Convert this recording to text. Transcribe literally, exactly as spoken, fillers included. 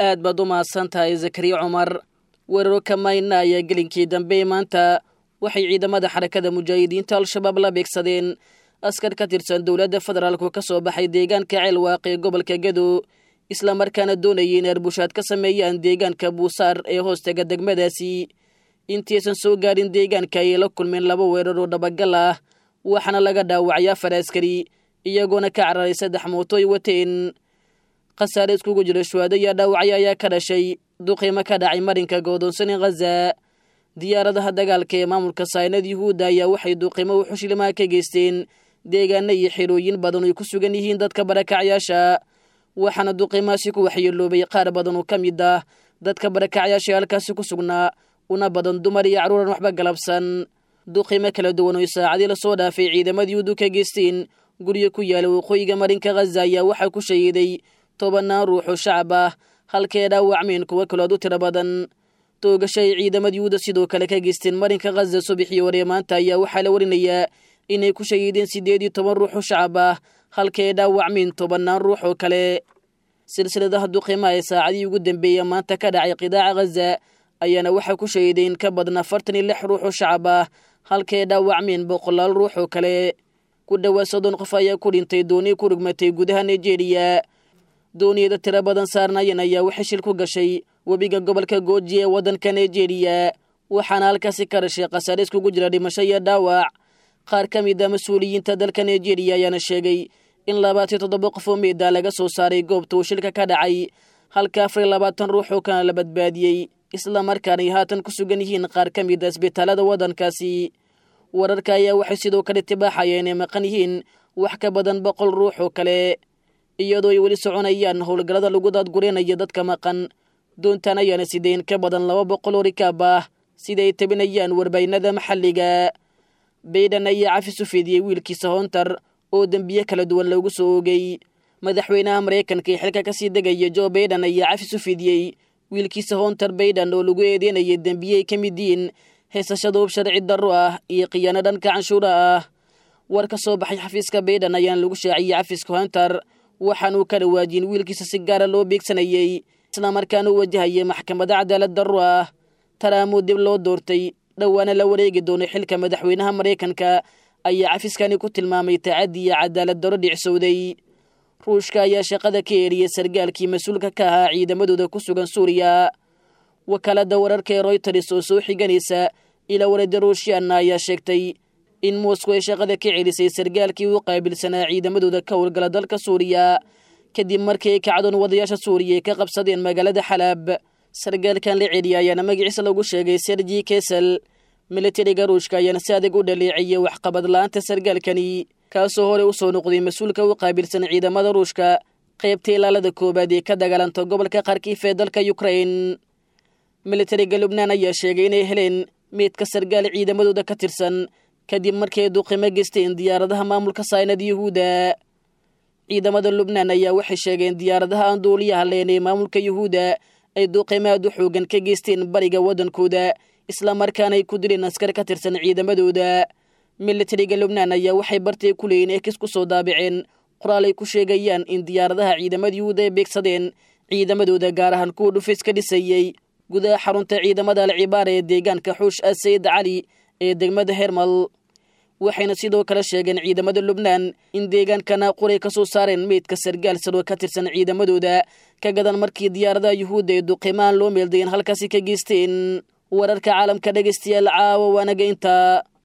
Aad baad u mahadsan tahay Zakariya Cumar. Weeraro kamayna ayaa gelinkii dambe maanta waxay ciidamada Xarakada Mujaahidiinta Al-Shabaab la beegsadeen askar ka tirsan dowladda federaalku ka soo baxay deegaanka Ceelwaaq ee gobolka Gedo, islamarkaana doonayay in arbushaad ka sameeyaan deegaanka Buusaar ee hoostaga degmadaasi. Intiaysan soo gaarin deegaanka ayay la kulmeen laba weerar oo dhabagal ah, waxaana laga dhaawacay afar askari, iyagoona ka cararay saddex mooto ay wateen. Khasaare iskugu jira shuhaado iyo dhaawacyo ayaa ka dhashay duqiimo ka dhacay marinka goodoonsan ee Khaza. Diyaaradaha dagaalka ee maamulka saynad Yuhuudda ayaa waxay duqiimo wuxushlimaha ka geysteen deegaano iyo xerooyin badan oy ku sugan yihiin dadka barakacyaasha, waxaana duqiimahaasi ku waxyeeloobay qaar badan oo ka mid ah dadka barakacyaasha ee halkaasi ku sugnaa, una badan dumar iyo carruuran waxba galabsan. Duqiimo kala duwan oy saacadii lasoo dhaafay ciidamada Yuhuuddu ka geysteen guryo ku yaala waqooyiga marinka Khaza ayaa waxaa ku shahiiday tobanaan ruux oo shacab ah, halkee dhaawacmeen kuwo kalood u tiro badan. Toogasho ay ciidamada Yuhuudda sidoo kale ka geysteen marinka Khaza subaxii hore maanta ayaa waxaa la warinayaa inay ku shahiideen siddeed iyo toban ruux oo shacab ah, halkee dhaawacmeen tobanaan ruux oo kale. Silsiladaha duqiimaha ee saacadihii ugu dambeeya maanta ka dhacay qidaaca Khaza ayaana waxaa ku shahiiday in ka badan afartan iyo lix ruux oo shacab ah, halkee dhaawacmeen boqolaal ruux oo kale. Ku dhowaad soddon qof ayaa ku dhintay dooni ku rugmatay gudaha Nigeria. Dooniyada tiro badan saarnaayeen ayaa waxay shil ku gashay webiga gobolka Gooji ee waddanka Nigeria, waxaana halkaasi ka dhashay khasaare iskugu jira dhimasho iyo dhaawac. Qaar ka mid a mas-uuliyiinta dalka Nigeria ayaana sheegay in labaatan iyo toddoba qof oo meeda laga soo saaray goobta uu shilka ka dhacay, halka afar iyo labaatan ruux oo kana la badbaadiyey, islamarkaana ay haatan ku sugan yihiin qaar ka mid a isbitaalada waddankaasi. Wararka ayaa waxay sidoo kale tibaaxayeen inay maqan yihiin wax ka badan boqol ruux oo kale, iyadoo ay weli soconayaan howlgallada lagu daadgureynaya dadka maqan. Doontan ayaana sideyn ka badan laba boqol oo rikaab ah, sida ay tabinayaan warbaynada maxalliga. Bayden ayaa cafis u fidiyey wiilkiisa Hontar oo dembiye kala duwan loogu soo oogay. Madaxweynaha Maraykanka ee xilka kasii degaya Joe Bayden ayaa cafis u fidiyey wiilkiisa Hontar Bayden oo lagu eedeynayay dembiye ay ka mid yihiin heesashada hub sharci darro ah iyo khiyaano dhanka canshuura ah. War ka soo baxay xafiiska Bayden ayaana lagu shaaciyey cafiska Hontar, waxaanuu ka dhawaajin wiilkiisa si gaara loo beegsanayey, islamarkaana u wajahayay maxkamadda cadaalad darro ah. Taraamuu dib loo doortay dhowaana la wareegi doono xilka madaxweynaha Maraykanka ayaa cafiskani ku tilmaamay tacaddi iyo cadaalad darro dhicsowday. Ruushka ayaa shaqada ka eeriyey sargaalkii mas-uulka ka ahaa ciidamadooda ku sugan Suuriya. Wakaaladda wararka ee Royters oo soo xiganaysa ilaa warada Ruushyaanna ayaa sheegtay in Moscow ay shaqada ka celisay sargaalkii u qaabilsanaa ciidamadooda ka howlgala dalka Suuriya, kadib markii ay kacdoon wadayaasha Suuriya ay ka qabsadeen magaalada Xalaab. Sargaalkan la celiya ayaana magaciisa lagu sheegay Sergi Kesel. Militariga Ruushka ayaana si adag u dhaleeciyey waxqabad la-aanta sargaalkani, kaasoo hore u soo noqday mas-uulka u qaabilsan ciidamada Ruushka qaybta ilaalada koowaad ee ka dagaalanta gobolka Kharkiif ee dalka Ukraine. Militariga Lubnaan ayaa sheegay inay heleen meydka sargaal ciidamadooda ka tirsan, kadib markii ay duqimo geysteen diyaaradaha maamulka saynad Yuhuudda. Ciidamada Lubnaan ayaa waxay sheegeen diyaaradaha aan duuliyaha leen ee maamulka Yuhuudda ay duqimo aad u xoogan ka geysteen bariga waddankooda, islamarkaana ay ku dileen askar ka tirsan ciidamadooda. Militariga Lubnaan ayaa waxay bartay ku leeyiin ekis ku soo daabaceen qoraal ay ku sheegayaan in diyaaradaha ciidamada Yuhuudda ay beegsadeen ciidamadooda, gaar ahaan kuwa dhufis ka dhisayey gudaha xarunta ciidamada Alcibaara ee deegaanka Xuush Asayid Cali ee degmada Hermal. Waxayna sidoo kale sheegeen ciidamada Lubnaan in deegaanka Naaquray ka soo saareen meydka sargaal saroo ka tirsan ciidamadooda, ka gadan markii diyaaradaha Yuhuudda ee duqimaan loo meeldayen halkaasi ka geysteen. Wararka caalamka dhegaystayaal caawa waanaga intaa.